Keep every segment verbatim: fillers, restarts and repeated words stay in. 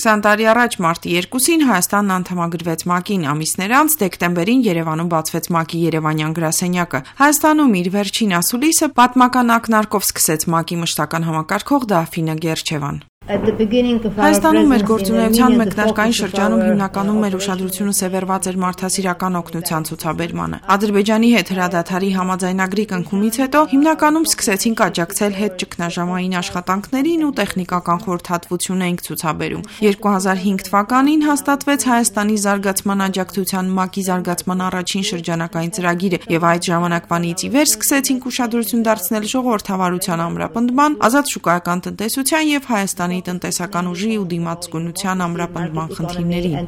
քսան տարի առաջ մարտի երկուսին Հայաստանն անդամագրվեց ՄԱԿ-ին, ամիսներ անց դեկտեմբերին Երևանում բացվեց ՄԱԿ-ի երևանյան գրասենյակը։ Հայաստանում իր վերջին ասուլիսը պատմական ակնարկով սկսեց ՄԱԿ-ի մշտական համակարգող Դաֆինե Գերջևան։ Հայաստանում մեր գործունեության մեկնարկային շրջանում հիմնականում մեր ուշադրությունը սևեռված էր մարդասիրական օգնության ցուցաբերմանը։ Ադրբեջանի հետ հրադադարի համաձայնագրի կնքումից հետո հիմնականում սկսեցինք աջակցել հետճգնաժամային աշխատանքներին ու տեխնիկական խորհրդատվություն էինք ցուցաբերում։ երկու հազար հինգ թվականին հաստատվեց Հայաստանի զարգացման աջակցության ՄԱԿ-ի զարգացման առաջին շրջանակային ծրագիրը, եւ այդ ժամանակվանից ի վեր սկսեցինք ուշադրություն դարձնել ժողովրդավարության ամրապնդման, ազատ շուկայական տնտեսության եւ Հայաստանի տնտեսական ուժի ու դիմացկունության ամրապնդման խնդիրներին։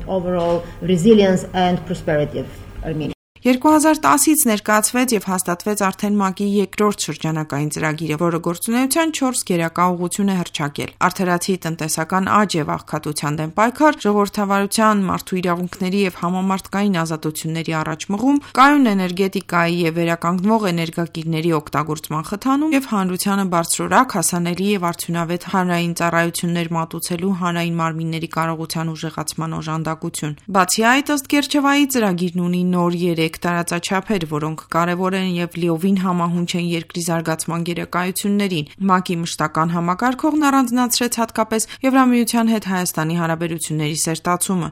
երկու հազար տասից ներկայացվեց եւ հաստատվեց արդեն ՄԱԿ-ի երկրորդ շրջանակային ծրագիրը, որը գործունեության չորս գերակա ուղղություն է հռչակել՝ արդարացի տնտեսական աճ եւ աղքատության դեմ պայքար, ժողովրդավարության, մարդու իրավունքների եւ համամարտկային ազատությունների առաջմղում, կայուն էներգետիկայի եւ վերականգնվող էներգակիրների օգտագործման խթանում եւ հանրությանը բարձրորակ, հասանելի եւ արդյունավետ հանրային ծառայություններ մատուցելու հանրային մարմինների կարողության ուժեղացման օժանդակություն։ Բացի այդ, ըստ Գերջևայի, ծրագիրն ունի նոր երեք տարածաչափեր, որոնք կարևոր են եւ լիովին համահունչ են երկրի զարգացման գերակայություններին։ ՄԱԿ-ի մշտական համակարգողն առանձնացրեց հատկապես Եվրամիության հետ Հայաստանի հարաբերությունների սերտացումը։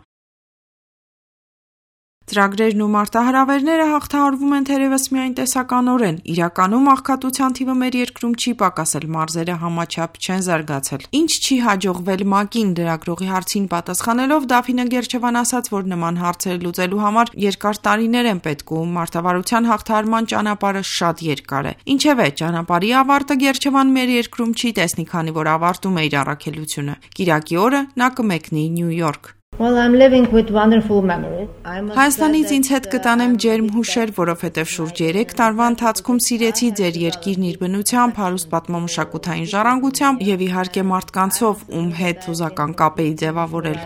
Ծրագրերն ու մարտահրավերները հաղթահարվում են թերևս միայն տեսականորեն։ Իրականում աղքատության թիվը մեր երկրում չի պակասել, մարզերը համաչափ չեն զարգացել։ Ինչ չի հաջողվել ՄԱԿ-ին լրագրողի հարցին պատասխանելով Դաֆինե Գերջևան ասաց, որ նման հարցեր լուծելու համար երկար տարիներ են պետք ու մարտավարության հաղթահարման ճանապարհը շատ երկար է։ Ինչևէ, ճանապարհի ավարտը Գերջևան մեր երկրում չի տեսնի, քանի որ ավարտում է իր առաքելությունը։ Կիրակի օրը նա կմեկնի Նյու Յորք։ Well, I'm living with wonderful memories. Հայաստանից ինձ հետ կտանեմ ջերմ հուշեր, որովհետև շուրջ երեք տարվա ընթացքում սիրեցի ձեր երկիրն իր բնությամբ, հարուստ պատմամշակութային ժառանգությամբ եւ իհարկե մարդկանցով, ում հետ հուզական կապ էի ձևավորել։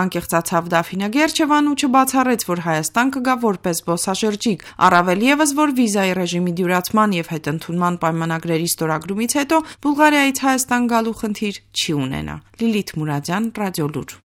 Անկեղծացավ Դաֆինե Գերջևան ու չբացառեց, որ Հայաստան կգա որպես զբոսաշրջիկ, առավել եւս, որ վիզայի ռեժիմի դյուրացման եւ հետընդունման պայմանագրերի ստորագրումից հետո Բուլղարիայից Հայաստան գալու խնդիր չի ունենա։ Լիլիթ Մուրադյան, Ռադիոլուր։